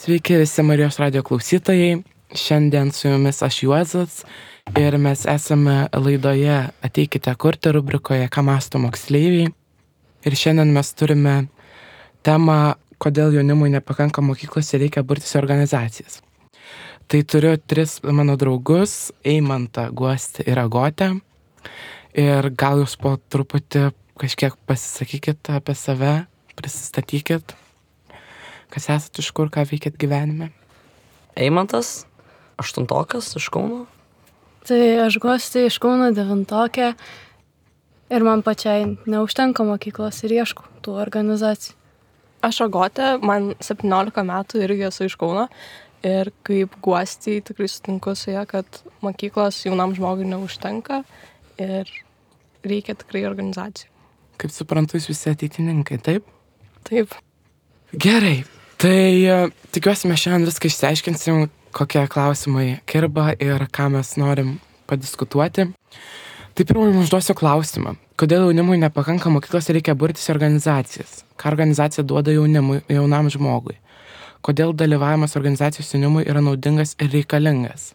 Sveiki visi Marijos radijo klausytojai. Šiandien su jumis aš Juozas ir mes esame laidoje Ateikite kurti rubrikoje Ką mąsto moksleiviai. Ir šiandien mes turime temą, kodėl jaunimui nepakanka mokyklose ir reikia burtis į organizacijas. Tai turiu tris mano draugus, Eimantą, Guostį ir Agotę. Ir gal jūs po truputį kažkiek pasisakykit apie save, prisistatykit, kas esat, iš kur, ką veikėt gyvenime. Eimantas, 8-okas iš Kauno. Tai aš Guostė iš Kauno, 9-okė. Ir man pačiai neužtenka mokyklos ir ieškau tų organizacijų. Aš Agotė, man 17 metų irgi esu iš Kauno. Ir kaip Guostį tikrai sutinku su ja, kad mokyklos jaunam žmogui neužtenka ir reikia tikrai organizacijų. Kaip suprantu, jūs visi ateitininkai, taip? Taip. Gerai, tai tikiuosi mes šiandien viską išsiaiškinsim, kokie klausimai kirba ir ką mes norim padiskutuoti. Tai pirmai užduosiu klausimą. Kodėl jaunimui nepakanka mokyklos ir reikia burtis į organizacijas? Ką organizacija duoda jaunam žmogui? Kodėl dalyvavimas organizacijos jaunimui yra naudingas ir reikalingas?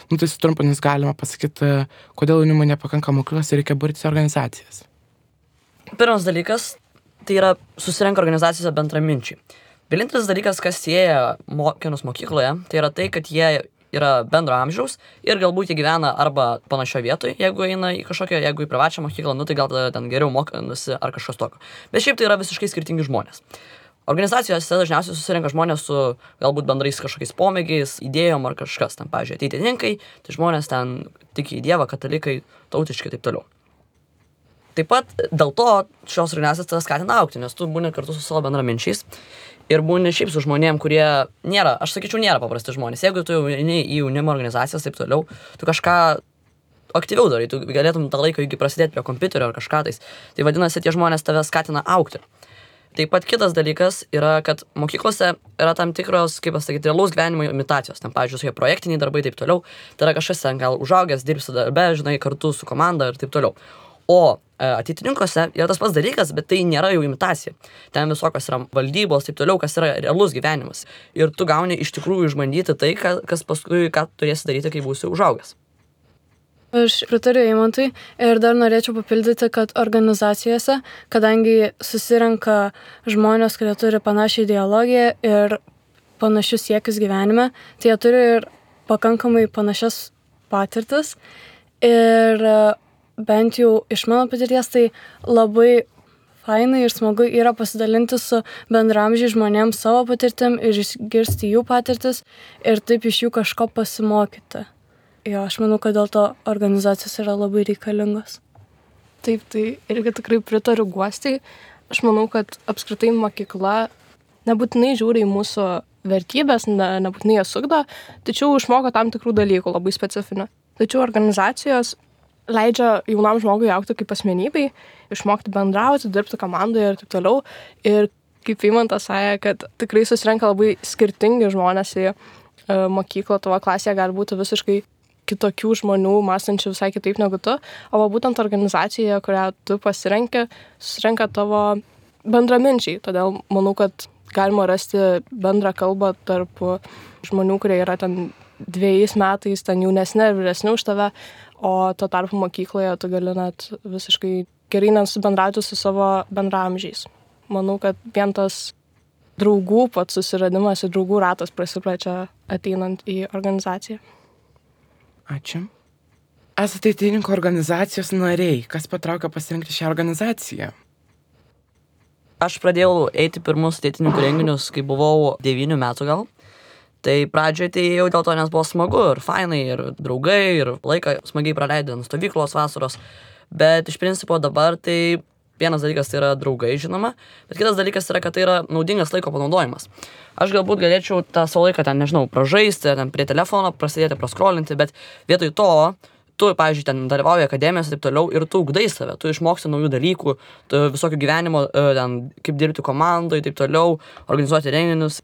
Tai sutrumpinus galima pasakyti, kodėl jaunimui nepakanka mokyklos ir reikia burtis į organizacijas. Pirmas dalykas, tai yra susirenka organizacijose bendraminčiai. Vienintelis dalykas, kas sieja mokinius mokykloje, tai yra tai, kad jie yra bendro amžiaus ir galbūt jie gyvena arba panašioje vietoje, jeigu eina į kažkokią, jeigu į privačią mokyklą, tai gal tada ten geriau mokosi ar kažkas tokio. Bet šiaip tai yra visiškai skirtingi žmonės. Organizacijose dažniausiai susirenka žmonės su galbūt bendrais kažkokiais pomėgiais, idėjom ar kažkas. Ten, pavyzdžiui, ateitininkai, tai žmonės ten tiki į Dievą, katalikai, tautiškai ir taip toliau. Taip pat dėl to šios organizacijos tave skatina augti, nes tu būni kartu su savo bendraminčiais ir būni šiaip su žmonėm, kurie nėra, aš sakyčiau, nėra paprasti žmonės. Jeigu tu eini į jaunimo organizacijas taip toliau, tu kažką aktyviau darai, tu galėtum tą laiką iki prasidėti prie kompiuterio ar kažką tais. Tai vadinasi, tie žmonės tave skatina augti. Taip pat kitas dalykas yra, kad mokyklose yra tam tikros, kaip pasakyti, realaus gyvenimo imitacijos. Ten, pavyzdžiui, tokie projektiniai darbai taip toliau. Tai yra kažkas ten gal užaugęs, dirbsi darbe, žinai, kartu su komanda ir taip toliau. O ateitininkuose yra tas pats dalykas, bet tai nėra jau imitacija. Ten visokios yra valdybos, taip toliau, kas yra realus gyvenimas. Ir tu gauni iš tikrųjų išbandyti tai, kas paskui, ką turėsi daryti, kai būsi užaugęs. Aš pritariu Eimantui ir dar norėčiau papildyti, kad organizacijose, kadangi susirenka žmonės, kurie turi panašią ideologiją ir panašius siekius gyvenime, tai jie turi ir pakankamai panašias patirtis. Ir bent jau iš mano patirties, tai labai fainai ir smagu yra pasidalinti su bendramžiai žmonėms savo patirtim ir išgirsti jų patirtis ir taip iš jų kažko pasimokyti. Jo, aš manau, kad dėl to organizacijos yra labai reikalingos. Taip, tai irgi tikrai pritariu Guostei. Aš manau, kad apskritai mokykla nebūtinai žiūri į mūsų vertybės, nebūtinai jas ugdo, tačiau išmoko tam tikrų dalykų labai specifinių. Tačiau organizacijos leidžia jaunam žmogui augti kaip asmenybei, išmokti bendrauti, dirbti komandoje ir taip toliau. Ir kaip Eimantas sakė, kad tikrai susirenka labai skirtingi žmonės į mokyklą, tavo klasėje gali būti visiškai kitokių žmonių, mąstančių visai kitaip negu tu, o būtent organizacijoje, kurią tu pasirenki, susirenka tavo bendraminčiai. Todėl manau, kad galima rasti bendrą kalbą tarp žmonių, kurie yra ten 2 metais, ten jaunesni ir vyresni už tave, o tuo tarpu mokykloje tu gali net visiškai gerai nesubendrauti su savo bendraamžiais. Manau, kad vien tas draugų pats susiradimas ir draugų ratas prasiplečia ateinant į organizaciją. Ačiū. Esate ateitininkų organizacijos nariai. Kas patraukia pasirinkti šią organizaciją? Aš pradėjau eiti pirmus ateitininkų renginius, kai buvau 9 metų gal. Tai pradžioje tai jau dėl to, nes buvo smagu ir fainai, ir draugai, ir laiką smagiai praleidant stovyklos vasaros. Bet iš principo dabar tai vienas dalykas tai yra draugai, žinoma, bet kitas dalykas yra, kad tai yra naudingas laiko panaudojimas. Aš galbūt galėčiau tą savo laiką ten, nežinau, pražaisti, ten prie telefono, prasidėti, praskrolinti, bet vietoj to, tu, pavyzdžiui, ten dalyvauji akademijos ir taip toliau ir tu ugdai save, tu išmoksti naujų dalykų, tu visokių gyvenimo, ten, kaip dirbti komandoje, taip toliau, organizuoti renginius.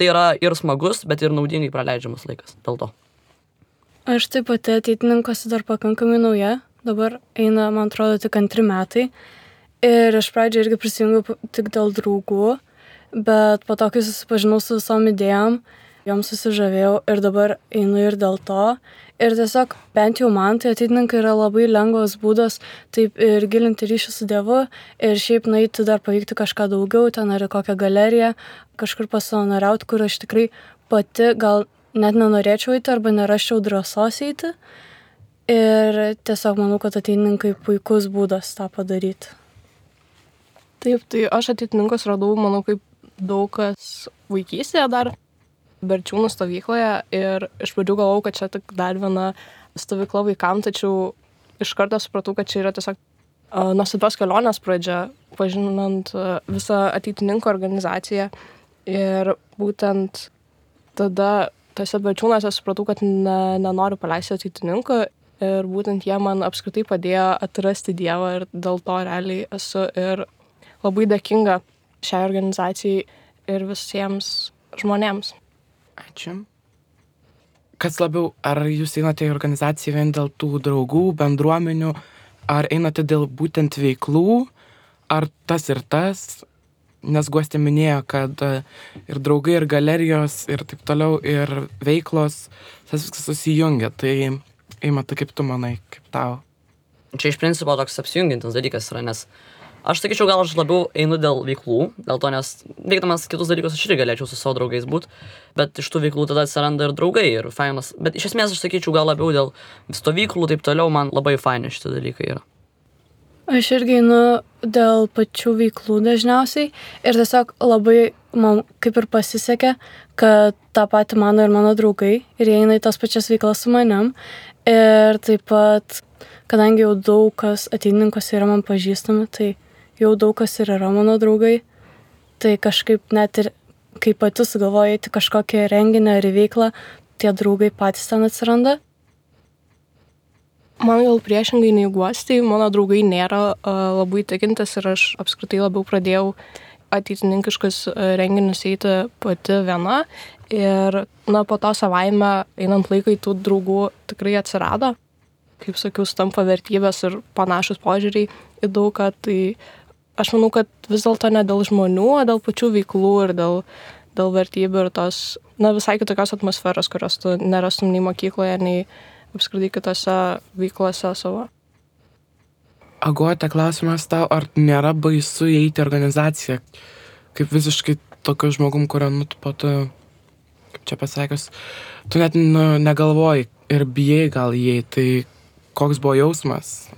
Tai yra ir smagus, bet ir naudingai praleidžiamas laikas dėl to. Aš taip pat ateitininkuose dar pakankamai nauja, dabar eina, man atrodo, tik 2 metai. Ir iš pradžio irgi prisijungiau tik dėl draugų, bet po to, kai susipažinau su visom idėjom, joms susižavėjau ir dabar einu ir dėl to. Ir tiesiog bent jau man tai ateitininkai yra labai lengvas būdas taip ir gilinti ryšį su Dievu ir šiaip nueiti dar paveikti kažką daugiau, ten ar į kokią galeriją, kažkur pasavanoriauti, kur aš tikrai pati gal net nenorėčiau eiti arba nerasčiau drąsos eiti. Ir tiesiog manau, kad ateitininkai puikus būdas tą padaryti. Taip, tai aš ateitininkus radau, manau, kaip daug kas vaikystėje dar Berčiūnų stovykloje ir iš pradžių galvojau, kad čia tik dar viena stovykla vaikams, tačiau iš karto supratau, kad čia yra tiesiog nuostabios kelionės pradžia, pažinant visą ateitininkų organizaciją. Ir būtent tada tose Berčiūnuose supratau, kad nenoriu paleisti ateitininkų ir būtent jie man apskritai padėjo atrasti Dievą ir dėl to realiai esu ir labai dėkinga šiai organizacijai ir visiems žmonėms. Ačiū. Kas labiau, ar jūs einate į organizaciją vien dėl tų draugų, bendruomenių, ar einate dėl būtent veiklų, ar tas ir tas? Nes Guostė minėjo, kad ir draugai, ir galerijos, ir taip toliau, ir veiklos, tas viskas susijungia. Tai Eimata, kaip tu manai, kaip tau? Čia iš principo toks apsijungiantis dalykas yra, nes aš sakyčiau, gal aš labiau einu dėl veiklų, dėl to, nes veikdamas kitus dalykus aš irgi galėčiau su savo draugais būti, bet iš tų veiklų tada atsiranda ir draugai, ir fainas. Bet iš esmės aš sakyčiau, gal labiau dėl stovyklų, taip toliau, man labai faini šitie dalykai yra. Aš irgi einu dėl pačių veiklų dažniausiai ir tiesiog labai man kaip ir pasisekė, kad tą patį mano ir mano draugai ir jie eina į tas pačias veiklas su manim. Ir taip pat, kadangi jau daug kas ateitininkuose yra man pažįstami, tai jau daug kas ir yra mano draugai, tai kažkaip net ir kai pati sugalvoju eiti kažkokią renginį ar į veiklą, tie draugai patys ten atsiranda. Man gal priešingai nei Guostei, mano draugai nėra labai tikintis ir aš apskritai labiau pradėjau ateitininkiškus renginius eiti pati viena. Ir po to savaime einant laikai tų draugų tikrai atsirado. Kaip sakiau, stampa vertybės ir panašus požiūriai į daug ką. Tai aš manau, kad vis dėlto ne dėl žmonių, o dėl pačių veiklų ir dėl vertybių ir tos visai kitokios atmosferos, kurios tu nerastum nei mokykloje, nei apskritai kitose veiklose savo. Agotė, klausimas tau, ar nėra baisu įeiti į organizaciją, kaip visiškai tokiu žmogum, kurio po to, kaip čia pasakius, tu net negalvoji ir bijai gal įeiti, tai koks buvo jausmas?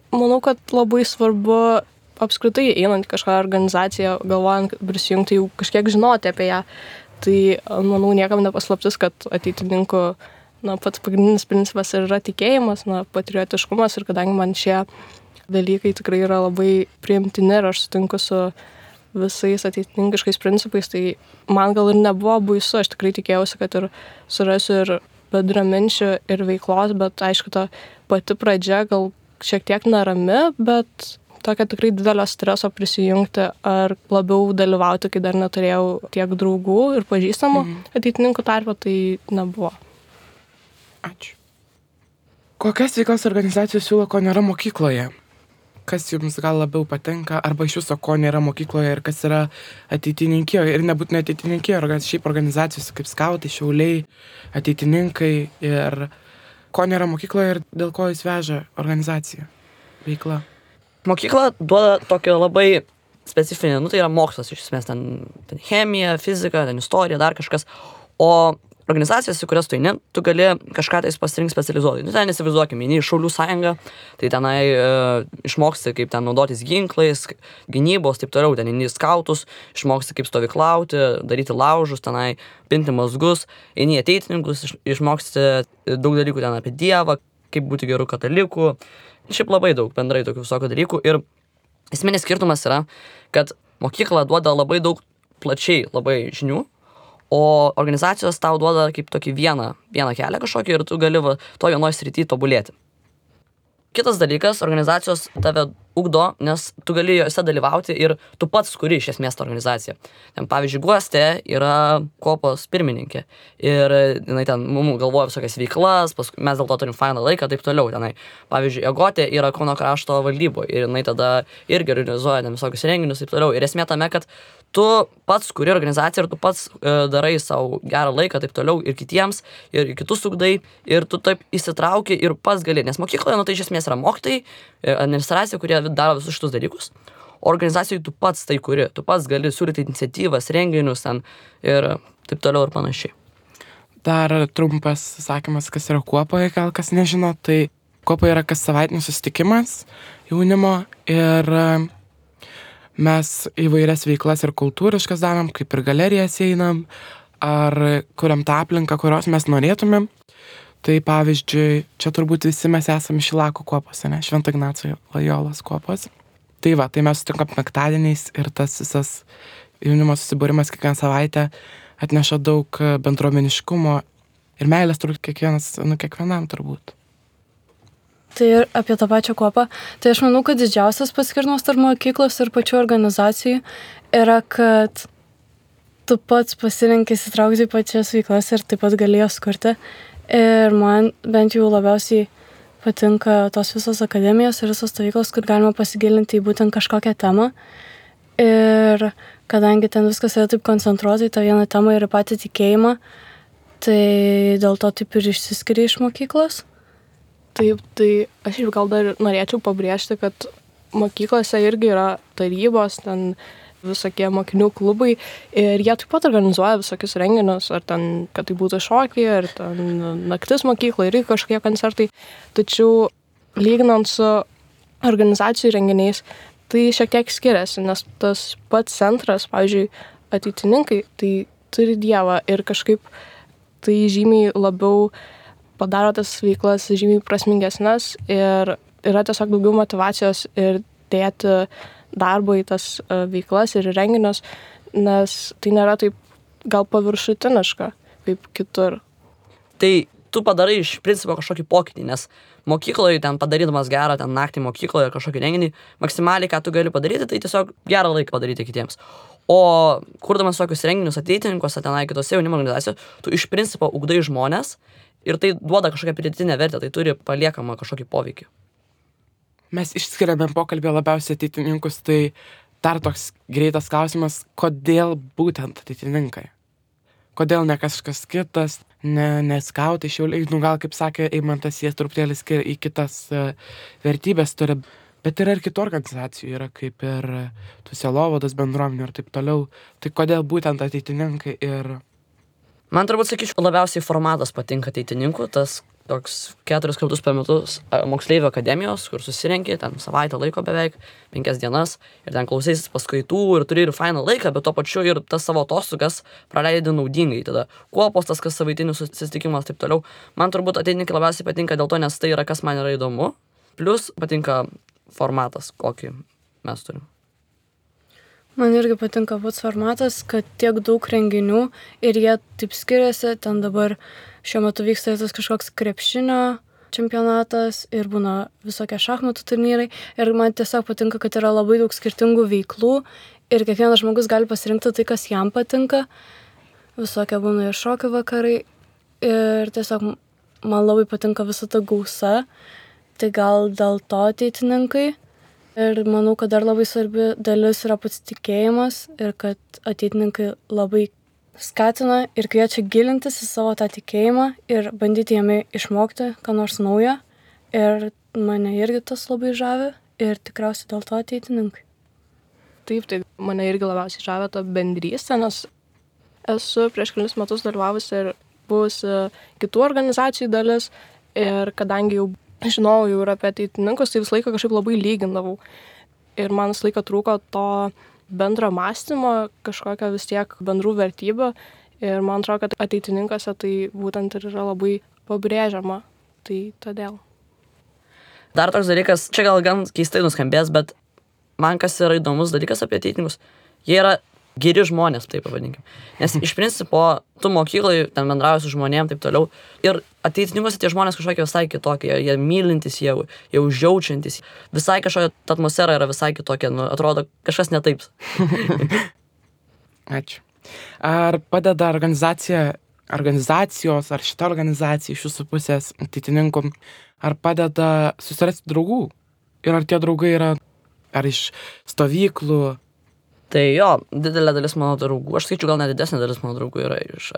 Manau, kad labai svarbu apskritai einant į kažką organizaciją, galvojant prisijungti, jau kažkiek žinoti apie ją. Tai, manau, niekam nepaslaptis, kad ateitininkų pats pagrindinis principas yra tikėjimas, patriotiškumas ir kadangi man šie dalykai tikrai yra labai priimtini ir aš sutinku su visais ateitininkiškais principais, tai man gal ir nebuvo baisu, aš tikrai tikėjausi, kad ir surasiu ir bendraminčių ir veiklos, bet aišku, ta pati pradžia gal šiek tiek nerami, bet tokia tikrai didelio streso prisijungti ar labiau dalyvauti, kai dar neturėjau tiek draugų ir pažįstamų ateitininkų tarpe, tai nebuvo. Ačiū. Kokias veiklas organizacijos siūlo, ko nėra mokykloje? Kas jums gal labiau patinka, arba iš viso, ko nėra mokykloje ir kas yra ateitininkijoje? Ir nebūtinai ateitininkijoje, šiaip organizacijos kaip skautai, šiauliai, ateitininkai ir ko nėra mokykloje ir dėl ko jis veža organizacija, veikla. Mokykla duoda tokio labai specifinį, tai yra mokslas iš esmės, ten chemija, fizika, ten istorija, dar kažkas, o organizacijos, į kurias tu eini, tu gali kažką tais pasirinkti specializuotai. Ten įsivaizduokime, eini į Šaulių sąjungą, tai tenai išmoksti, kaip ten naudotis ginklais, gynybos, taip toliau, ten eini į skautus, išmoksti, kaip stovyklauti, daryti laužus, tenai pinti mazgus, eini į ateitininkus, išmoksti daug dalykų ten apie Dievą, kaip būti gerų katalikų, šiaip labai daug bendrai tokių visokių dalykų. Ir esminis skirtumas yra, kad mokykla duoda labai daug plačiai labai žinių, o organizacijos tau duoda kaip tokį vieną kelią kažkokį ir tu gali to vienoj srity tobulėti. Kitas dalykas, organizacijos tave ugdo, nes tu gali jose dalyvauti ir tu pats kuri iš esmės tą organizaciją. Ten, pavyzdžiui, Guostė yra kopos pirmininkė ir jinai ten mums galvoja visokias veiklas, mes dėl to turim fainą laiką, taip toliau. Tenai, pavyzdžiui, Agotė yra Kauno krašto valdyboje ir jinai tada irgi organizuoja ten visokius renginius, taip toliau. Ir esmė tame, kad tu pats kuri organizaciją ir tu pats darai savo gerą laiką taip toliau ir kitiems, ir kitus ugdai, ir tu taip įsitrauki ir pats gali. Nes mokykloje, tai iš esmės yra mokytojai, administracija, kurie daro visus šitus dalykus. O organizacijai tu pats tai kuri, tu pats gali siūlyti iniciatyvas, renginius ten ir taip toliau ir panašiai. Dar trumpas sakymas, kas yra kuopoje, gal kas nežino, tai kuopa yra kas savaitinis susitikimas jaunimo ir mes įvairias veiklas ir kultūriškas darom, kaip ir galerijas einam, ar kuriam tą aplinką, kurios mes norėtumėm. Tai pavyzdžiui, čia turbūt visi mes esame Šilakų kuopos, ne? Švento Ignaco Lojolos kuopos. Tai va, tai mes sutinkam penktadieniais ir tas visas jaunimo susibūrimas kiekvieną savaitę atneša daug bendruomeniškumo ir meilės turbūt kiekvienam turbūt. Tai ir apie tą pačią kuopą. Tai aš manau, kad didžiausias paskirtumas tarp mokyklos ir pačių organizacijų yra, kad tu pats pasirenki įsitraukti į pačias veiklas ir taip pat gali jas kurti. Ir man bent jau labiausiai patinka tos visos akademijos ir visos stovyklos, kur galima pasigilinti į būtent kažkokią temą. Ir kadangi ten viskas yra taip koncentruotai, tą vieną temą ir patį tikėjimą, tai dėl to taip ir išsiskiria iš mokyklos. Taip, tai aš ir gal dar norėčiau pabrėžti, kad mokyklose irgi yra tarybos, ten visokie mokinių klubai ir jie taip pat organizuoja visokius renginius, ar ten, kad tai būtų šokiai, ar ten naktis mokykla ir kažkokie koncertai. Tačiau lyginant su organizacijų renginiais, tai šiek tiek skiriasi, nes tas pats centras, pavyzdžiui, ateitininkai, tai turi Dievą ir kažkaip tai žymiai labiau padaro tas veiklas žymiai prasmingesnes ir yra tiesiog daugiau motyvacijos ir dėti darbo į tas veiklas ir renginius, nes tai nėra taip gal paviršutiniška kaip kitur. Tai tu padarai iš principo kažkokį pokytį, nes mokykloje ten padarydamas gerą ten naktį mokykloje kažkokį renginį, maksimaliai ką tu gali padaryti, tai tiesiog gerą laiką padaryti kitiems. O kurdamas tokius renginius ateitininkuose, tenai kitose jaunimo organizacijose, tu iš principo ugdai žmonės ir tai duoda kažkokią pridėtinę vertę, tai turi paliekamą kažkokį poveikį. Mes išskiriame pokalbį labiausiai ateitininkus, tai dar toks greitas klausimas, kodėl būtent ateitininkai? Kodėl ne kažkas kitas, ne skautai, šiauliai, gal kaip sakė Eimantas, jie truputėlį skiria į kitas vertybės turi, bet yra ir kitų organizacijų, yra kaip ir Sielovados bendruomenių ir taip toliau. Tai kodėl būtent ateitininkai ir... Man turbūt sakyčiau, labiausiai formatas patinka ateitininkų, tas toks 4 kartus per metus moksleivių akademijos, kur susirenki, ten savaitę laiko beveik, 5 dienas, ir ten klausysis paskaitų ir turi ir fainą laiką, bet to pačiu ir tas savo atostogas praleidi naudingai. Tada kuopos, tas kas savaitinis susitikimas, taip toliau. Man turbūt ateitininkai labiausiai patinka dėl to, nes tai yra kas man yra įdomu, plus patinka formatas, kokį mes turim. Man irgi patinka pats formatas, kad tiek daug renginių ir jie taip skiriasi. Ten dabar šiuo metu vyksta tas kažkoks krepšinio čempionatas ir būna visokie šachmatų turnyrai. Ir man tiesiog patinka, kad yra labai daug skirtingų veiklų ir kiekvienas žmogus gali pasirinkti tai, kas jam patinka. Visokie būna ir šokių vakarai. Ir tiesiog man labai patinka visa ta gausa. Tai gal dėl to ateitininkai. Ir manau, kad dar labai svarbi dalis yra pats tikėjimas ir kad ateitininkai labai skatina ir kviečia gilintis į savo tą tikėjimą ir bandyti jame išmokti ką nors naujo. Ir mane irgi tas labai žavi ir tikriausiai dėl to ateitininkai. Taip, tai mane irgi labiausiai žavė ta bendrystė, nes esu prieš kelis metus dalyvavusi ir buvusi kitų organizacijų dalis ir kadangi jau žinojau jau ir apie ateitininkus, tai visą laiką kažkaip labai lygindavau. Ir man visą laiką trūko to bendro mąstymo, kažkokio vis tiek bendrų vertybių. Ir man atrodo, kad ateitininkose tai būtent ir yra labai pabrėžiama. Tai todėl. Dar toks dalykas, čia gal gan keistai nuskambės, bet man kas yra įdomus dalykas apie ateitininkus, jie yra geri žmonės, taip pavadinkim. Nes iš principo, tu mokyklai ten bendrauji su žmonėm, taip toliau. Ir ateitininkuose tie žmonės kažkokie visai kitokie, jie mylintis, jie užjaučiantis. Visai kažkokia atmosfera yra visai kitokia, atrodo kažkas ne taip. Ačiū. Ar padeda organizacijos, ar šita organizacija iš jūsų pusės ateitininkų, ar padeda susirasti draugų? Ir ar tie draugai yra ar iš stovyklų, Tai jo, didelė dalis mano draugų, aš skaičiu gal net didesnė dalis mano draugų yra iš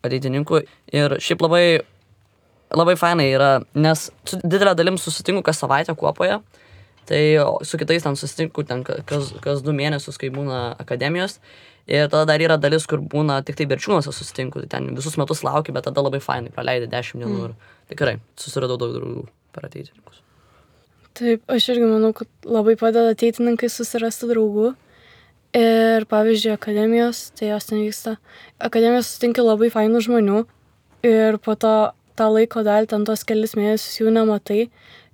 ateitininkų. Ir šiaip labai fainai yra, nes su didelė dalim susitinku kas savaitę kuopoje. Tai su kitais ten susitinku ten kas 2 mėnesius, kai būna akademijos. Ir tada dar yra dalis, kur būna tik tai Berčiūnuose susitinku. Tai ten visus metus laukiu, bet tada labai fainai praleidai 10 dienų. Ir tikrai susiradau daug draugų per ateitininkus. Taip, aš irgi manau, kad labai padeda ateitininkai susirasti draugų. Ir pavyzdžiui, akademijos, tai jos ten vyksta. Akademijos susitinki labai fainų žmonių ir po to tą laiko dalį, ten tos kelis mėnesius jų nematai.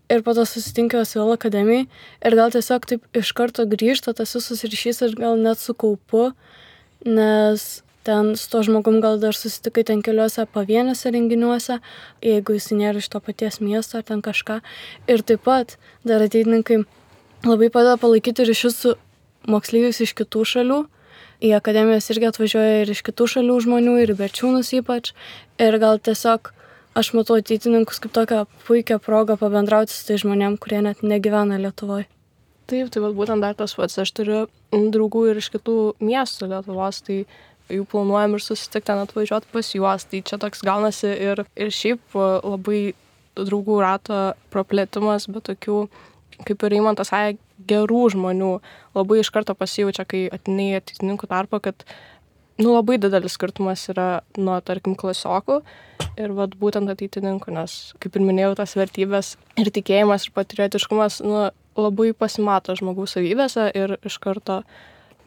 Ir po to susitinki jos vėl akademijai ir gal tiesiog taip iš karto grįžta tas visus ryšys ir gal net su kaupu, nes ten su to žmogum gal dar susitikai ten keliuose pavieniuose renginiuose, jeigu jis nėra iš to paties miesto ar ten kažką. Ir taip pat dar ateitininkai labai padeda palaikyti ryšius su moksleiviais iš kitų šalių. Į akademijas irgi atvažiuoja ir iš kitų šalių žmonių, ir į Berčiūnus ypač. Ir gal tiesiog aš matau ateitininkus kaip tokią puikią progą pabendrauti su tai žmonėm, kurie net negyvena Lietuvoje. Taip, tai būtent dar tas pats. Aš turiu draugų ir iš kitų miestų Lietuvos, tai jų planuojam ir susitikti ten atvažiuoti pas juos. Tai čia toks gaunasi ir šiaip labai draugų rato praplėtimas, bet tokių, kaip ir Eimantas sakė, gerų žmonių labai iš karto pasijaučia, kai ateini ateitininkų tarpą, kad labai didelis skirtumas yra nuo, tarkim, klasiokų ir būtent ateitininkų, nes, kaip ir minėjau, tas vertybės ir tikėjimas ir patriotiškumas labai pasimato žmogaus savybėse ir iš karto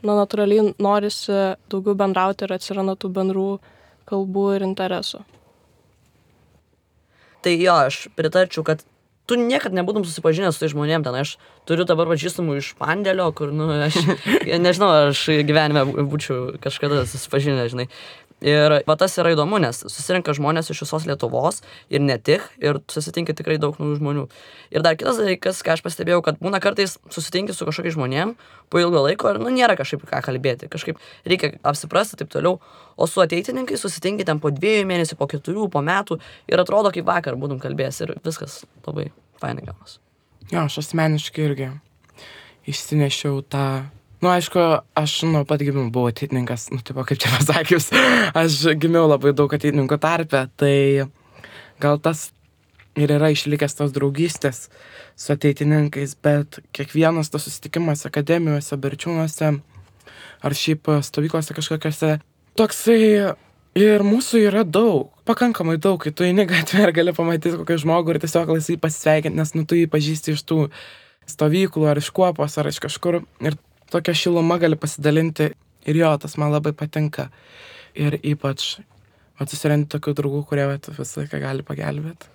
natūraliai norisi daugiau bendrauti ir atsiranda tų bendrų kalbų ir interesų. Tai jo, aš pritarčiau, kad tu niekad nebūtum susipažinęs su tai žmonėm ten. Aš turiu dabar pažįstamų iš Pandėlio, kur, aš nežinau, ar aš gyvenime būčiau kažkada susipažinęs, žinai. Ir tas yra įdomu, nes susirenka žmonės iš visos Lietuvos ir ne tik, ir susitinki tikrai daug naujų žmonių. Ir dar kitas dalykas, ką aš pastebėjau, kad būna kartais susitinki su kažkokiais žmonėm po ilgo laiko ir nėra kažkaip ką kalbėti, kažkaip reikia apsiprasti taip toliau, o su ateitininkai susitinki ten po 2 mėnesių, po 4, po metų ir atrodo kaip vakar būtum kalbėjęs ir viskas labai fainai gaunas. Jo, aš asmeniškai irgi išsinešiau tą. Aišku, aš nuo pat gimimo buvau ateitininkas, tipo, kaip čia pasakius, aš gimiau labai daug ateitininkų tarpe, tai gal tas ir yra išlikęs tos draugystės su ateitininkais, bet kiekvienas tas susitikimas akademijose, Berčiūnuose ar šiaip stovyklose kažkokiose, toksai ir mūsų yra daug, pakankamai daug, kai tu eini gatvę ir gali pamatyti kokį žmogų ir tiesiog laisvai pasisveikinti, nes tu jį pažįsti iš tų stovyklų ar iš kuopos ar iš kažkur ir tokia šiluma gali pasidalinti ir jo, tas man labai patinka. Ir ypač susirandi tokių draugų, kurie visą laiką gali pagelbėti.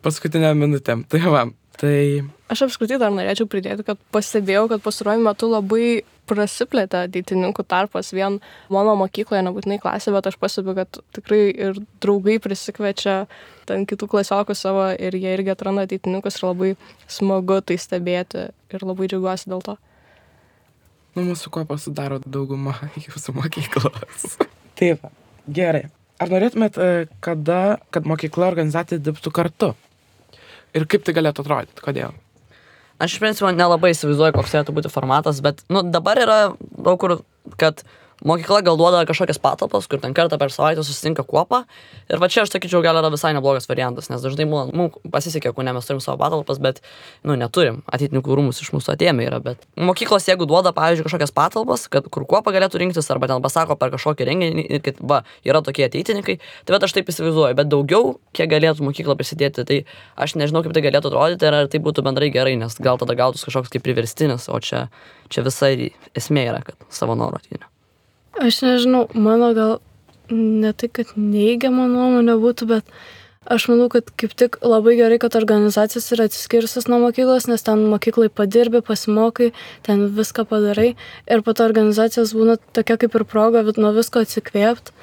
Paskutinę minutėm. Tai va, tai... Aš apskritai dar norėčiau pridėti, kad pastebėjau, kad pastaruoju metu labai prasiplėtė ateitininkų tarpas. Vien mano mokykloje, nebūtinai klasė, bet aš pastebiu, kad tikrai ir draugai prisikviečia ten kitų klasiokų savo ir jie irgi atranda ateitininkus ir labai smagu tai stebėti ir labai džiaugiuosi dėl to. Mūsų kuopą sudaro dauguma jūsų mokyklos. Taip, gerai. Ar norėtumėt, kad mokykla organizacija dirbtų kartu? Ir kaip tai galėtų atrodyti? Kodėl? Aš iš principo nelabai įsivaizduoju, koks turėtų būti formatas, bet dabar yra daug kur, kad mokykla gal duoda kažkokias patalpas, kur ten kartą per savaitę susitinka kuopą. Ir čia aš sakyčiau, gal yra visai neblogas variantas, nes dažnai mums pasisekė, ne mes turim savo patalpas, bet neturim. Ateitininkų rūmus iš mūsų atėmė yra, bet mokyklos, jeigu duoda, pavyzdžiui, kažkokias patalpas, kur kuopa galėtų rinktis, arba ten pasako per kažkokį renginį, kad yra tokie ateitininkai, tai bet aš taip įsivaizduoju, bet daugiau, kiek galėtų mokykla prisidėti, tai aš nežinau, kaip tai galėtų atrodyti, ar tai būtų bendrai gerai, nes gal tada gautus kažkoks kaip priverstinis, o čia visai esmė yra, kad savo norą ateina. Aš nežinau, mano gal ne tai, kad neigiama nuomonė būtų, bet aš manau, kad kaip tik labai gerai, kad organizacijos yra atsiskirusios nuo mokyklos, nes ten mokyklai padirbi, pasimokai, ten viską padarai ir po to organizacijos būna tokia kaip ir proga nuo visko atsikvėpti.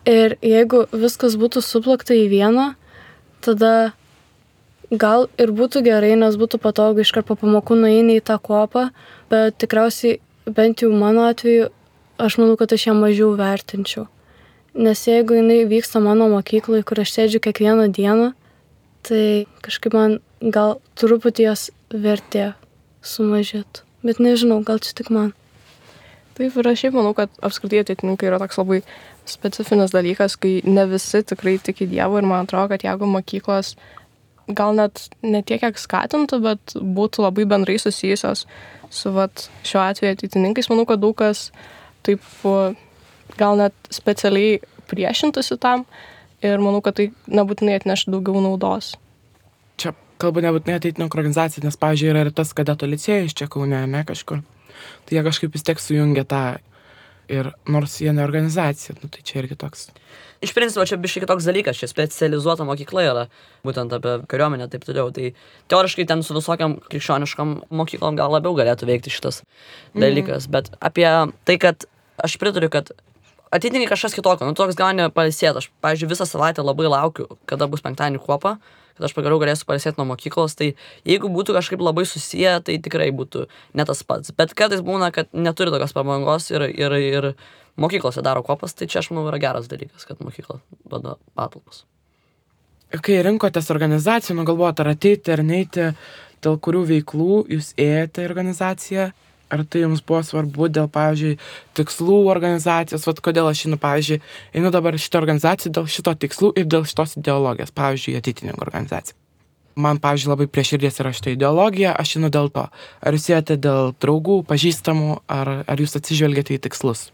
Ir jeigu viskas būtų suplakta į vieną, tada gal ir būtų gerai, nes būtų patogu iškart po pamokų nueini į tą kuopą, bet tikriausiai bent jau mano atveju aš manau, kad aš ją mažiau vertinčiau. Nes jeigu jinai vyksta mano mokykloje, kur aš sėdžiu kiekvieną dieną, tai kažkaip man gal truputį jos vertė sumažėtų. Bet nežinau, gal čia tik man. Taip, ir aš šiaip manau, kad apskritai ateitininkai yra toks labai specifinis dalykas, kai ne visi tikrai tiki Dievu ir man atrodo, kad jeigu mokyklos gal net ne tiek, kiek skatintų, bet būtų labai bendrai susijusios su šiuo atveju ateitininkais, manau, kad daug kas taip gal net specialiai priešintųsi tam ir manau, kad tai nebūtinai atneš daugiau naudos. Čia kalbu nebūtinai ateitininkų organizacija, nes, pavyzdžiui, yra ir tas kadeto licėjus čia Kaune, ne kažkur. Tai jie kažkaip vis tiek sujungia tą ir nors jie ne organizacija, tai čia irgi toks. Iš principo, čia biškai kitoks dalykas, čia specializuota mokykla yra, būtent apie kariuomenę taip toliau. Tai teoriškai ten su visokiam krikščioniškam mokyklom gal labiau galėtų veikti šitas dalykas. Bet apie tai, kad aš pritariu, kad ateitininkai kažkas kitokio, toks gali pailsėti. Aš, pavyzdžiui, visą savaitę labai laukiu, kada bus penktadienį kuopa, kad aš pagaliau galėsiu pailsėti nuo mokyklos. Tai jeigu būtų kažkaip labai susiję, tai tikrai būtų ne tas pats. Bet kartais būna, kad neturi tokios pramogos ir mokyklose daro kuopas, tai čia aš manau yra geras dalykas, kad mokykla duoda patalpas. Kai rinkotės organizaciją, galvojate, ar ateiti, ar neiti, dėl kurių veiklų jūs ėjote į organizaciją? Ar tai jums buvo svarbu dėl, pavyzdžiui, tikslų organizacijos? Kodėl aš einu dabar šitą organizaciją dėl šito tikslų ir dėl šitos ideologijos, pavyzdžiui, ateitininkų organizacija. Man, pavyzdžiui, labai prie širdies yra šitą ideologiją, aš einu dėl to. Ar jūs ėjate dėl draugų, pažįstamų, ar jūs atsižvelgiate į tikslus?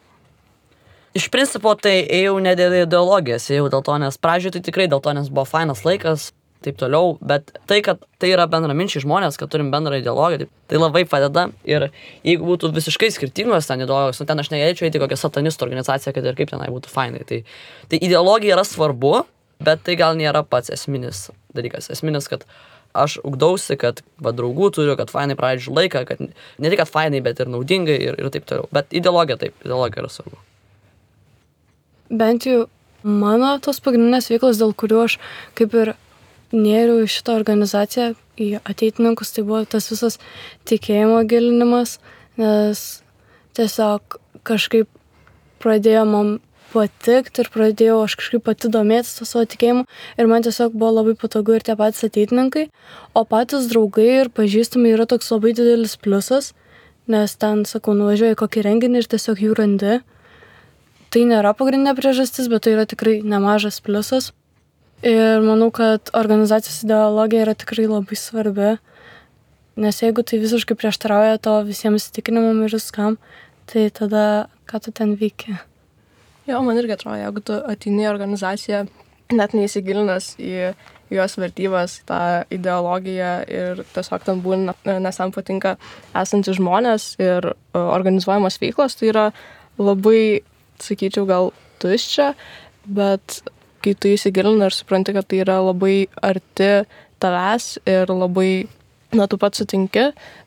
Iš principo, tai ėjau ne dėl ideologijos, ėjau dėl to, nes pradžioje tai tikrai dėl to, nes buvo fainas laikas, taip toliau, bet tai, kad tai yra bendraminčiai žmonės, kad turim bendrą ideologiją, tai labai padeda ir jeigu būtų visiškai skirtingos ten ideologijos, ten aš negalėčiau eiti kokią satanistų organizaciją, kad ir kaip tenai būtų fainai. Tai ideologija yra svarbu, bet tai gal nėra pats esminis dalykas. Esminis, kad aš ugdausi, kad draugų turiu, kad fainai praleidžiu laiką, kad ne tik, kad fainai, bet ir naudingai ir taip toliau. Bet ideologija yra svarbu. Bent jau mano tos pagrindinės veiklos, dėl kurių aš kaip ir nėriau į šitą organizaciją, į ateitininkus, tai buvo tas visas tikėjimo gilinimas, nes tiesiog kažkaip pradėjo man patikti ir pradėjau aš kažkaip pati domėtis to savo tikėjimu ir man tiesiog buvo labai patogu ir tie patys ateitininkai, o patys draugai ir pažįstami yra toks labai didelis pliusas, nes ten, sakau, nuvažiuoju į kokį renginį ir tiesiog jų randi. Tai nėra pagrindinė priežastis, bet tai yra tikrai nemažas pliusas. Ir manau, kad organizacijos ideologija yra tikrai labai svarbi, nes jeigu tai visiškai prieštarauja to visiems įsitikinimam ir viskam, tai tada ką tu ten veiki? Jo, man irgi atrodo, jeigu tu ateini į organizaciją, net neįsigilinęs į jos vertybės, tą ideologiją ir tiesiog ten būna, nes tam patinka esantys žmonės ir organizuojamos veiklos, tai yra labai, sakyčiau, gal tuščia, bet kai tu įsigilini ir supranti, kad tai yra labai arti tavęs ir labai, tu pats sutinki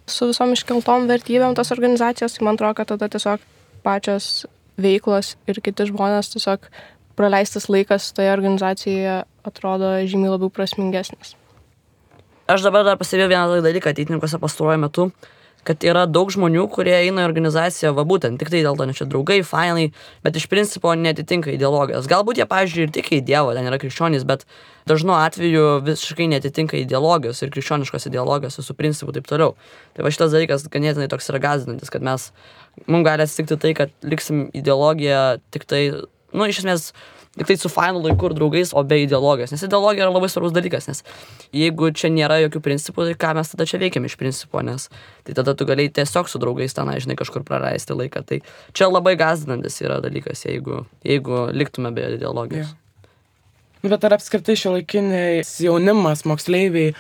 su visom iškeltom vertybėm tos organizacijos, tai man atrodo, kad tada tiesiog pačios veiklos ir kiti žmonės tiesiog praleistas laikas toje organizacijoje atrodo žymiai labiau prasmingesnis. Aš dabar dar pastebėjau vieną dalyką ateitininkuose pastaruoju metu, kad yra daug žmonių, kurie eina į organizaciją, būtent tik tai dėl to, nes čia draugai, fainai, bet iš principo netitinka ideologijos. Galbūt jie, pavyzdžiui, ir tik į Dievą, ten yra krikščionys, bet dažnu atveju visiškai netitinka ideologijos ir krikščioniškos ideologijos su principu taip toliau. Tai šitas dalykas ganėtinai toks yra gąsdinantis, kad mums gali atsitikti tai, kad liksim ideologiją tik tai, iš esmės, tik tai su fainu laiku ir draugais, o be ideologijos. Nes ideologija yra labai svarbus dalykas, nes jeigu čia nėra jokių principų, tai ką mes tada čia veikiam iš principo, nes tai tada tu galėjai tiesiog su draugais tenai, kažkur praleisti laiką. Tai čia labai gąsdinantis yra dalykas, jeigu liktume be ideologijos. Yeah. Bet ar apskritai šiuolaikiniai jaunimas, moksleiviai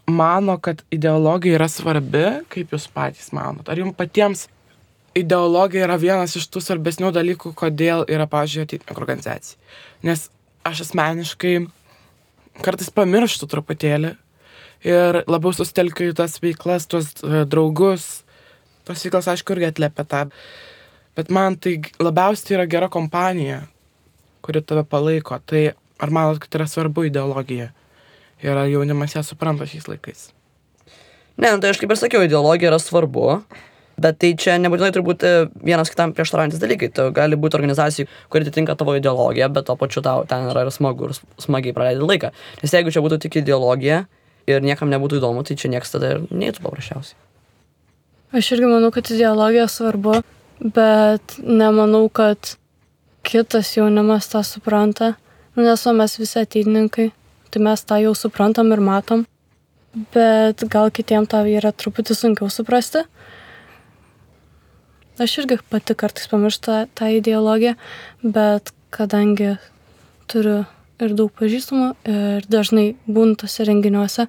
mano, kad ideologija yra svarbi, kaip jūs patys manot? Ar jums patiems ideologija yra vienas iš tų svarbesnių dalykų, kodėl yra, pavyzdžiui, ateitininkų organizacija? Nes aš asmeniškai kartais pamirštu truputėlį ir labiau susitelkiu į tas veiklas, tuos draugus. Tos veiklas, aišku, irgi atliepia tą. Bet man tai labiausiai yra gera kompanija, kuri tave palaiko. Tai ar manot, kad yra svarbu ideologija? Ir ar jaunimas ją supranta šiais laikais? Ne, tai aš kaip ir sakiau, ideologija yra svarbu. Bet tai čia nebūtinai turbūt vienas kitam prieštaraujantis dalykai. Tai gali būti organizacija, kuri atitinka tavo ideologiją, bet to pačiu tau ten yra smagu ir smagiai praleidi laiką. Nes jeigu čia būtų tik ideologija ir niekam nebūtų įdomu, tai čia niekas tada ir neįtų paprasčiausiai. Aš irgi manau, kad ideologija svarbu, bet nemanau, kad kitas jaunimas tą supranta, nes mes visi ateitininkai, tai mes tą jau suprantam ir matom, bet gal kitiem tą yra truputį sunkiau suprasti. Aš irgi pati kartais pamirštu tą ideologiją, bet kadangi turiu ir daug pažįstamų ir dažnai būnu tose renginiuose,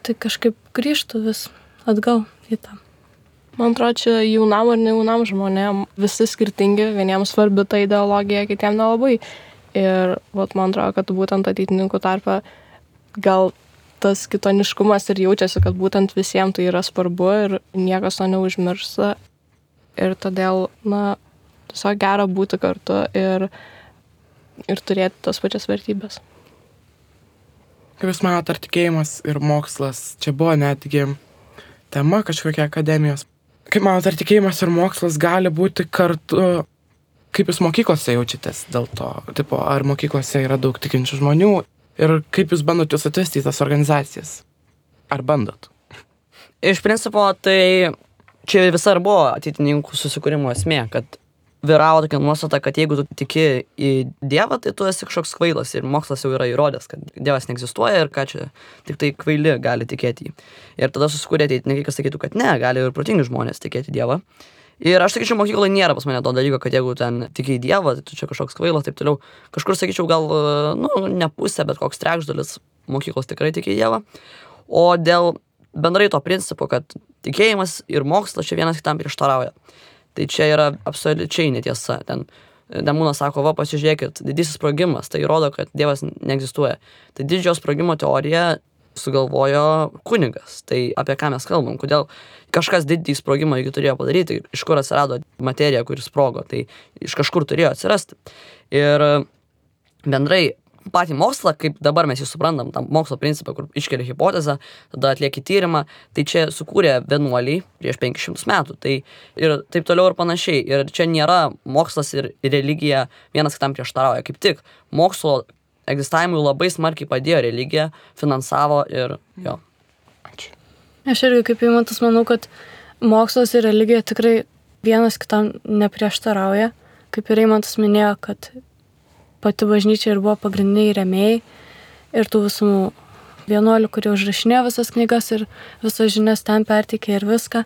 tai kažkaip grįžtu vis atgal į tą. Man atrodo, čia jaunam ar ne jaunam žmonėm visi skirtingi, vieniems svarbi ta ideologija, kitiem nelabai. Ir man atrodo, kad būtent ateitininkų tarpe gal tas kitoniškumas ir jaučiasi, kad būtent visiems tai yra svarbu ir niekas to neužmiršta. Ir todėl, tiesiog gera būti kartu ir turėti tas pačias vertybės. Kaip Jūs manote, ar tikėjimas ir mokslas, čia buvo netgi tema kažkokia akademijos. Kaip manote, ar tikėjimas ir mokslas gali būti kartu, kaip Jūs mokyklose jaučiatės dėl to? Tipo, ar mokyklose yra daug tikinčių žmonių ir kaip Jūs bandot Jūs atvesti į tas organizacijas? Ar bandot? Iš principo, tai čia visą ir buvo ateitininkų susikūrimo esmė, kad vyravo tokia nuostata, kad jeigu tu tiki į Dievą, tai tu esi kažkoks kvailas ir mokslas jau yra įrodęs, kad Dievas neegzistuoja ir ką čia tik tai kvaili gali tikėti jį. Ir tada susikūrė ateitininkai, kas sakytų, kad ne, gali ir protingi žmonės tikėti Dievą. Ir aš sakyčiau, mokykloje nėra pas mane to dalyko, kad jeigu ten tiki į Dievą, tai tu čia kažkoks kvailas, taip toliau. Kažkur sakyčiau, gal, ne pusė, bet koks trečdalis mokyklos tikrai tiki į Dievą. O dėl bendrai to principo, kad tikėjimas ir mokslas čia vienas kitam prieštarauja. Tai čia yra absoliučiai netiesa. Ten Demūnas sako, pasižiūrėkit, didysis sprogimas, tai rodo, kad Dievas neegzistuoja. Tai didžiojo sprogimo teorija sugalvojo kunigas. Tai apie ką mes kalbam? Kodėl kažkas didįjį sprogimą iki turėjo padaryti? Iš kur atsirado materija, kuris sprogo? Tai iš kažkur turėjo atsirasti. Ir bendrai patį mokslą, kaip dabar mes jį suprantam, tam mokslo principą, kur iškelia hipotezę, tada atlieki tyrimą, tai čia sukūrė vienuoliai prieš 500 metų. Tai ir taip toliau ir panašiai. Ir čia nėra mokslas ir religija vienas kitam prieštarauja. Kaip tik mokslo egzistavimui labai smarkiai padėjo religija, finansavo ir jo. Ačiū. Aš irgi kaip Eimantas manau, kad mokslas ir religija tikrai vienas kitam neprieštarauja. Kaip ir Eimantas minėjo, kad pati bažnyčia ir buvo pagrindiniai rėmėjai ir tų visų vienuolių, kurie užrašinėjo visas knygas ir visas žinias ten perteikė ir viską.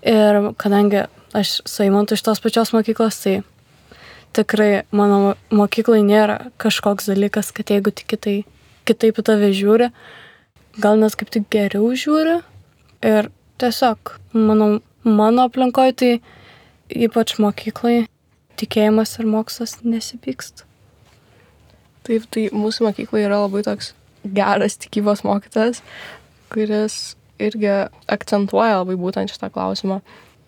Ir kadangi aš su Eimantu iš tos pačios mokyklos, tai tikrai mano mokyklai nėra kažkoks dalykas, kad jeigu tik kitaip į tave žiūri, gal net kaip tik geriau žiūri. Ir tiesiog mano aplinkoje, tai ypač mokyklai, tikėjimas ir mokslas nesipyksta. Taip, tai mūsų mokykloje yra labai toks geras tikybos mokytojas, kuris irgi akcentuoja labai būtent šitą klausimą.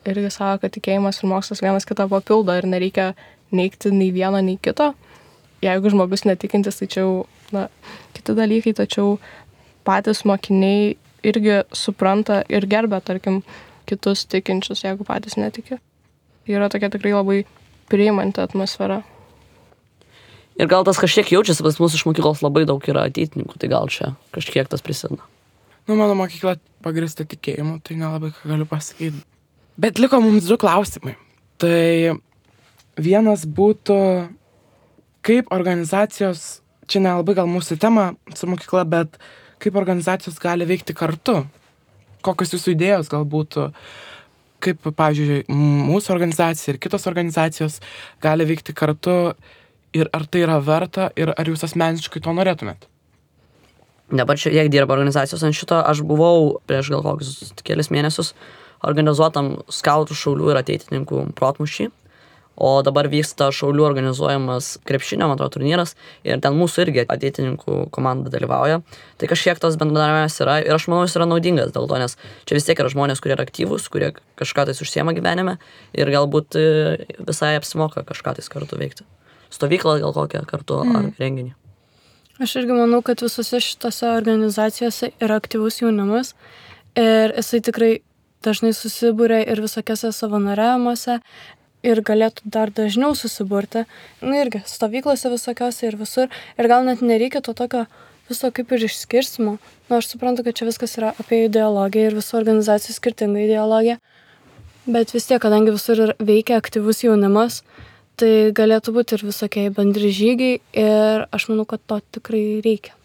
Irgi sako, kad tikėjimas ir mokslas vienas kitą papildo ir nereikia neigti nei vieno, nei kito. Jeigu žmogus netikintis, tai čia jau kiti dalykai, tačiau patys mokiniai irgi supranta ir gerbia, tarkim, kitus tikinčius, jeigu patys netiki. Yra tokia tikrai labai priimanti atmosfera. Ir gal tas kažkiek jaučiasi, pas mūsų iš mokyklos labai daug yra ateitininkų, tai gal čia kažkiek tas prisideda. Mano mokykla pagrįsta tikėjimu, tai nelabai ką galiu pasakyti. Bet liko mums 2 klausimai. Tai vienas būtų, kaip organizacijos, čia nelabai gal mūsų tema su mokykla, bet kaip organizacijos gali veikti kartu. Kokios Jūsų idėjos gal būtų, kaip, pavyzdžiui, mūsų organizacija ir kitos organizacijos gali veikti kartu. Ir ar tai yra verta ir ar Jūs asmeniškai to norėtumėt? Dabar čia kiek dirba organizacijos ant šito, aš buvau prieš gal kokius kelias mėnesius organizuotam skautų, šaulių ir ateitininkų protmūšį, o dabar vyksta šaulių organizuojamas krepšinio, man atrodo, turnyras ir ten mūsų irgi ateitininkų komanda dalyvauja. Tai kažkiek tas bendradarbiavimas yra ir aš manau, jis yra naudingas dėl to, nes čia vis tiek yra žmonės, kurie yra aktyvūs, kurie kažką tais užsiema gyvenime ir galbūt visai apsimoka kažką tais kartu veikti. Stovyklą gal kokią kartu ar renginį. Aš irgi manau, kad visose šitose organizacijose yra aktyvus jaunimas ir jisai tikrai dažnai susibūrė ir visokiose savanoriavimuose ir galėtų dar dažniau susiburti. Irgi stovyklose visokiose ir visur. Ir gal net nereikia to tokio viso kaip ir išskirstimo. Aš suprantu, kad čia viskas yra apie ideologiją ir visų organizacijų skirtingą ideologiją. Bet vis tiek, kadangi visur veikia aktyvus jaunimas, tai galėtų būti ir visokie bendri žygiai ir aš manau, kad to tikrai reikia.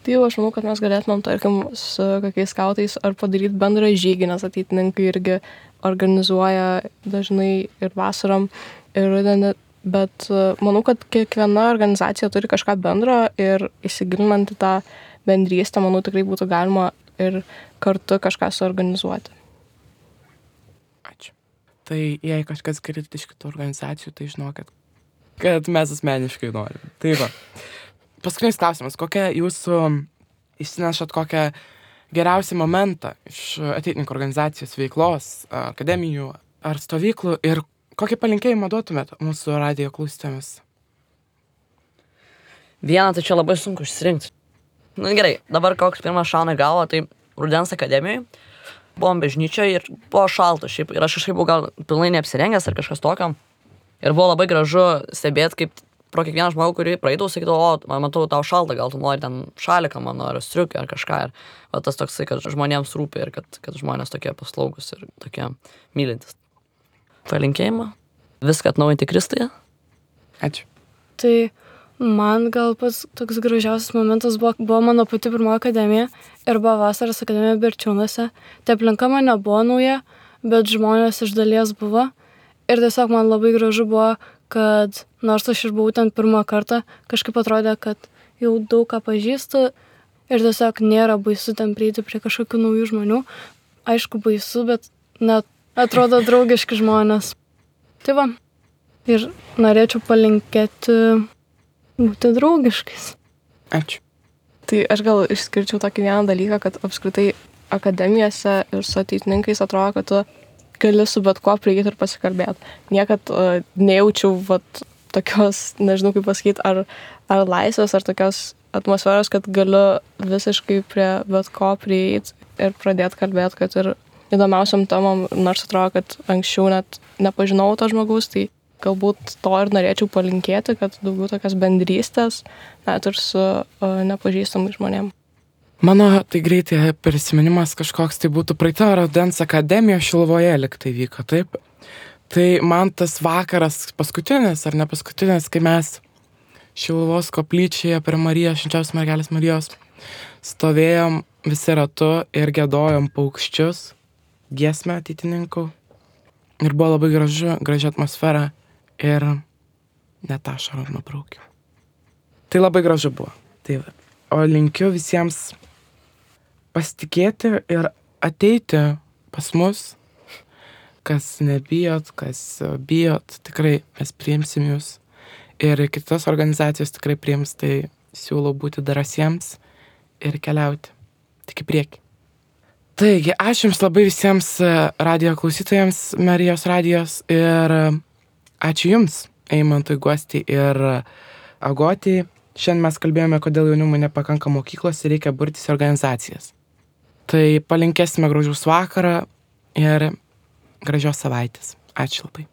Tai jau aš manau, kad mes galėtumėm, tarkim, su kokiais skautais ar padaryti bendrą žygį, nes ateitininkai irgi organizuoja dažnai ir vasarom, ir rudenį, bet manau, kad kiekviena organizacija turi kažką bendro ir įsigilinant į tą bendrystę, manau, tikrai būtų galima ir kartu kažką suorganizuoti. Ačiū. Tai jei kažkas girdite iš kitų organizacijų, tai žinokit, kad mes asmeniškai norim. Tai va. Paskutinis klausimas, kokia jūsų išsinešat kokią geriausią momentą iš ateitininkų organizacijos veiklos, akademijų ar stovyklų ir kokį palinkėjimą duotumėt mūsų radijo klausytojams? Vieną tai čia labai sunku išsirinkti. Nu gerai, dabar koks pirmas šauna į galvą, tai rudens akademijoje. Buvom bažnyčioje ir buvo šalta šiaip. Ir aš kažkaip buvau gal pilnai neapsirengęs ar kažkas tokio. Ir buvo labai gražu stebėti, kaip pro kiekvieną žmogų, kurį praeidavau, sakydavau, o, matau, tau šalta, gal tu nori ten šaliką mano, ar striukę, ar kažką. Ir va, tas toksai, kad žmonėms rūpi ir kad žmonės tokie paslaugus ir tokie mylintis. Palinkėjimą. Viską atnaujinti Kristuje. Ačiū. Tai man gal pats toks gražiausias momentas buvo mano pati pirma akademija ir buvo vasaros akademija Berčiūnuose. Tai aplinka man nebuvo nauja, bet žmonės iš dalies buvo. Ir tiesiog man labai gražu buvo, kad nors aš ir buvau ten pirmą kartą, kažkaip atrodė, kad jau daug ką pažįstu ir tiesiog nėra baisu ten prieiti prie kažkokių naujų žmonių. Aišku, baisu, bet net atrodo draugiški žmonės. Tai va, ir norėčiau palinkėti būti draugiškais. Ačiū. Tai aš gal išskirčiau tokį vieną dalyką, kad apskritai akademijose ir su ateitininkais atrodo, kad tu gali su bet kuo prieiti ir pasikalbėti. Niekad nejaučiau tokios, nežinau kaip pasakyti, ar laisvės, ar tokios atmosferos, kad galiu visiškai prie bet ko prieiti ir pradėti kalbėti, kad ir įdomiausiam temom, nors atrodo, kad anksčiau net nepažinau to žmogaus, tai galbūt to ir norėčiau palinkėti, kad daugiau tokios bendrystės, net ir su nepažįstamais žmonėm. Mano tai greitai prisiminimas kažkoks tai būtų praeitą rudens akademiją Šiluvoje liktai vyko, taip? Tai man tas vakaras paskutinis ar ne paskutinis, kai mes Šiluvos koplyčioje prie Marijos, Švenčiausios Mergelės Marijos stovėjom visi ratu ir giedojom paukščius, giesmę ateitininkų. Ir buvo labai graži atmosfera ir net ašarą nubraukiau. Tai labai gražu buvo. Tai va. O linkiu visiems pasitikėti ir ateiti pas mus, kas nebijot, kas bijot, tikrai mes priimsim jūs. Ir kitos organizacijos tikrai priims, tai siūlau būti drąsiems ir keliauti. Tik į priekį. Taigi, ačiū Jums labai visiems radijo klausytojams, Marijos radijos ir ačiū Jums, Eimantui Guostei ir Agotei. Šiandien mes kalbėjome, kodėl jaunimui nepakanka mokyklos ir reikia burtis į organizacijas. Tai palinkėsime gražaus vakarą ir gražios savaitės. Ačiū labai.